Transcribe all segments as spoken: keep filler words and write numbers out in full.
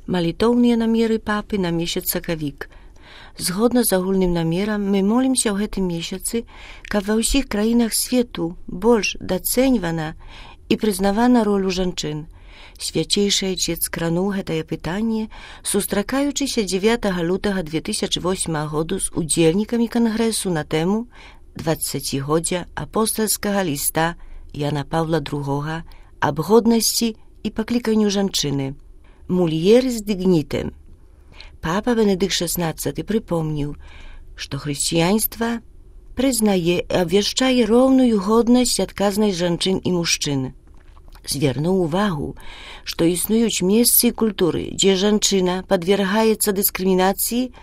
Малітоўныя намеры папы на месяц сакавік. Згодна з агульным намерам, мы молімся ў гэтым месяцы, каб ва ўсіх краінах свету больш дацэньвана і прызнавана ролю жанчын. Свячейшы Айчец крануў гэтае пытанне, сустракаючыся дзевятага лютага две тысячы восьмага году з удзельнікамі кангрэсу на тэму дваццацігоддзя апостальскага ліста Яна Паўла другога аб годнасці і пакліканню жанчыны. Mulieris dignitem. Папа Бенедыкт шестнадцаты припомніў, што хрысціянства прызнае і абвяшчае роўную годнасць і адказнасць жанчын і мужчын. Звярнуў увагу, што існуюць месцы і культуры, дзе жанчына падвергаецца дыскрымінацыі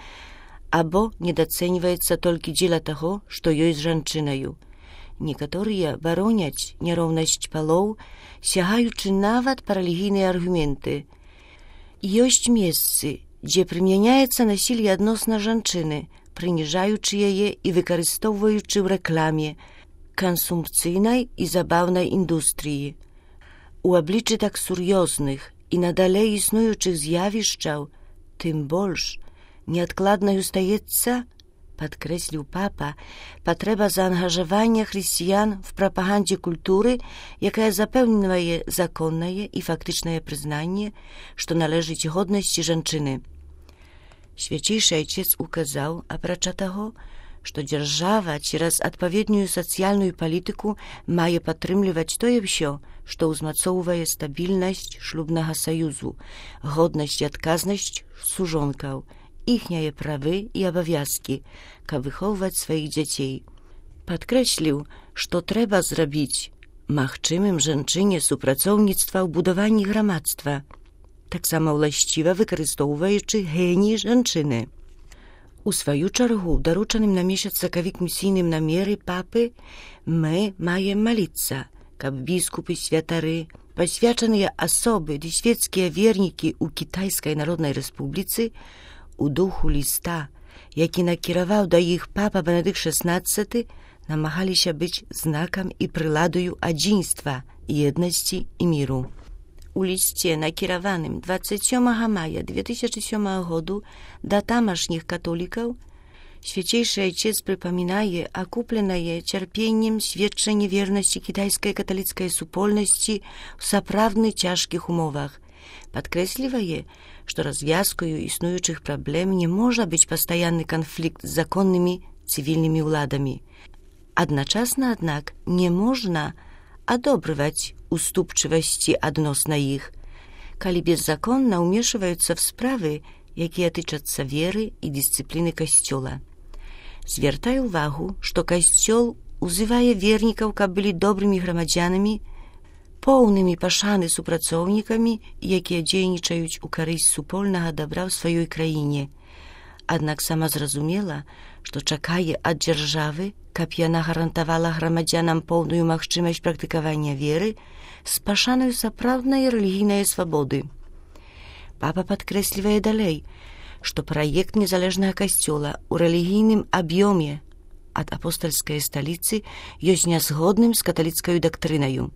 або недацэньваецца толькі дзеля таго, што ёсць жанчынаю. Некаторыя бароняць няроўнасць палоў, сягаючы нават па рэлігійныя аргументы. Ёсць месцы, дзе прымяняецца насілле адносна жанчыны, прыніжаючы яе і выкарыстоўваючы ў рэкламе, кансумпцыйнай і забаўнай індустрыі. У абліччы так сур'ёзных і надалей існуючых з'явішчаў, тым больш неадкладнаю стаецца, падкрэсліў папа, патрэба заангажавання хрысціян в прапагандзе культуры, якая запэўнівае законнае і фактычнае прызнанне, што належыць годнасці жанчыны. Свячейшы Айчец указаў, апрача таго, што дзяржава цераз адпаведную сацыяльную палітыку мае падтрымліваць тое ўсё, што ўзмацоўвае стабільнасць шлюбнага саюзу, годнасць і адказнасць сужонкаў, іхнія правы і абавязкі, каб выхоўваць сваіх дзяцей. Падкрэсліў, што трэба зрабіць магчымым жанчыне супрацоўніцтва ў будаванні грамадства, таксама ўласціва выкарыстоўваючы геній жанчыны. У сваю чаргу, даручаным на месяц сакавік місійным намеры папы, мы маем маліцца, каб біскупы, святары, пасвячаныя асобы ды свецкія вернікі ў Кітайскай Народнай Рэспубліцы у духу ліста, які накіраваў да іх папа Бенедыкт шестнадцаты, намагаліся быць знакам і прыладаю адзінства, еднасці і міру. У лісце, накіраваным дваццаць сёмага мая две тысячы сёмага году да тамашніх католікаў, Свячейшы Айчец прыпамінае акупленае цярпеннем сведчанне вернасці кітайскай каталіцкай супольнасці ў сапраўдны цяжкіх умовах. Падкрэслівае, што развязкаю існуючых праблем не можа быць пастаянны канфлікт з законнымі цывільнымі ўладамі. Адначасна, аднак, не можна адобрываць уступчывасці адносна іх, калі беззаконна ўмешваюцца в справы, якія тычацца веры і дысцыпліны касцёла. Звяртае ўвагу, што касцёл узывае вернікаў, каб былі добрымі грамадзянамі, поўнымі пашаны супрацоўнікамі, якія дзейнічаюць у карысць супольнага дабра ў сваёй краіне. Аднак сама зразумела, што чакае ад дзяржавы, каб яна гарантавала грамадзянам поўную магчымасць практыкавання веры з пашанаю сапраўднай рэлігійнай свабоды. Папа падкрэслівае далей, што праект незалежнага касцёла ў рэлігійным аб'ёме ад апостальскай сталіцы ёсць нязгодным з каталіцкаю дактрынаю.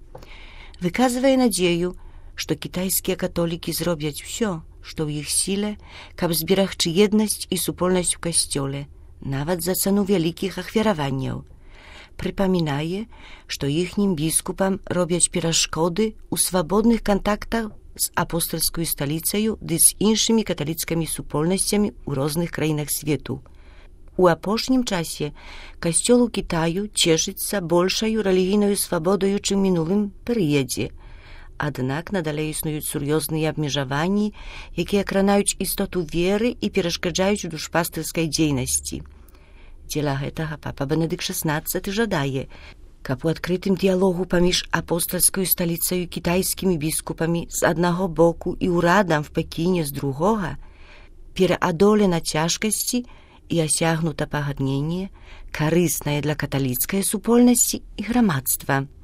Выказвае надзею, што кітайскія католікі зробяць усё, што ў іх сіле, каб зберагчы еднасць і супольнасць у касцёле, нават за цану вялікіх ахвяраванняў. Прыпамінае, што іхнім біскупам робяць перашкоды ў свабодных кантактах з апостальскую сталіцаю ды з іншымі каталіцкімі супольнасцямі ў розных краінах свету. У апошнім часе касцёл у Кітаю цешыцца большаю рэлігійнаю свабодаю, чым мінулым перыядзе. Аднак надалей існуюць сур'ёзныя абмежаванні, якія кранаюць істоту веры і перашкаджаюць душпастырскай дзейнасці. Дзеля гэтага папа Бенедыкт шестнадцаты жадае, каб у адкрытым дыялогу паміж апостальскаю сталіцаю кітайскімі біскупамі з аднаго боку і ўрадам в Пекіне з другога пераадолена цяжкасці і асягнута пагадненне, карыснае для каталіцкай супольнасці і грамадства.